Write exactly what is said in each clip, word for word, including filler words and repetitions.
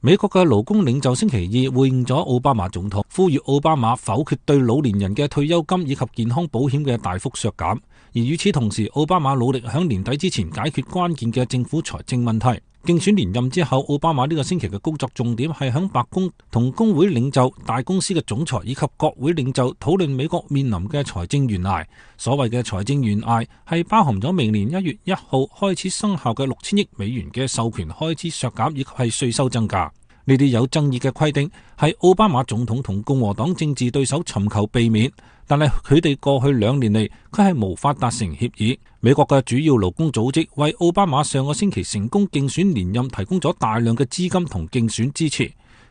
美國嘅勞工領袖星期二會見咗奧巴馬總統，呼籲奧巴馬否決對老年人嘅退休金以及健康保險嘅大幅削減。而與此同時，奧巴馬努力喺年底之前解決關鍵嘅政府財政問題。競選連任之後，奧巴馬呢個星期嘅工作重點係喺白宮同工會領袖、大公司嘅總裁以及國會領袖討論美國面臨嘅財政懸崖。所謂嘅財政懸崖係包含咗明年一月一號開始生效嘅六千億美元嘅授權開支削減以及係稅收增加。呢啲有爭議嘅規定係奧巴馬總統同共和黨政治對手尋求避免，但係佢哋過去兩年嚟佢係無法達成協議。美國嘅主要勞工組織為奧巴馬上個星期成功競選連任提供咗大量嘅資金同競選支持。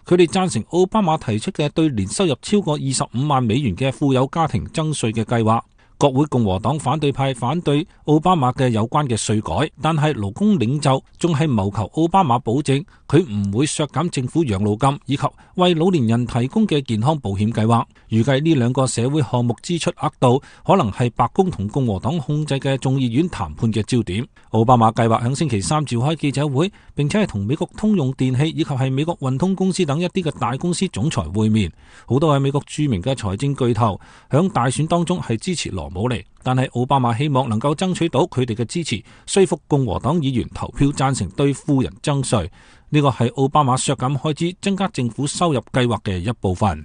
佢哋贊成奧巴馬提出嘅對年收入超過二十五萬美元嘅富有家庭增稅嘅計劃。國會共和黨反對派反對奧巴馬嘅有關嘅稅改，但係勞工領袖仲係謀求奧巴馬保證佢唔會削減政府養老金以及為老年人提供嘅健康保險計劃。預計呢兩個社會項目支出額度可能係白宮同共和黨控制嘅眾議院談判嘅焦點。奧巴馬計劃喺星期三召開記者會，並且係同美國通用電器以及係美國運通公司等一啲嘅大公司總裁會面。好多係美國著名嘅財政巨頭響大選當中係支持羅姆尼，但係奧巴馬希望能夠爭取到佢哋嘅支持，說服共和黨議員投票贊成對富人徵稅。呢個係奧巴馬削減開支、增加政府收入計劃嘅一部分。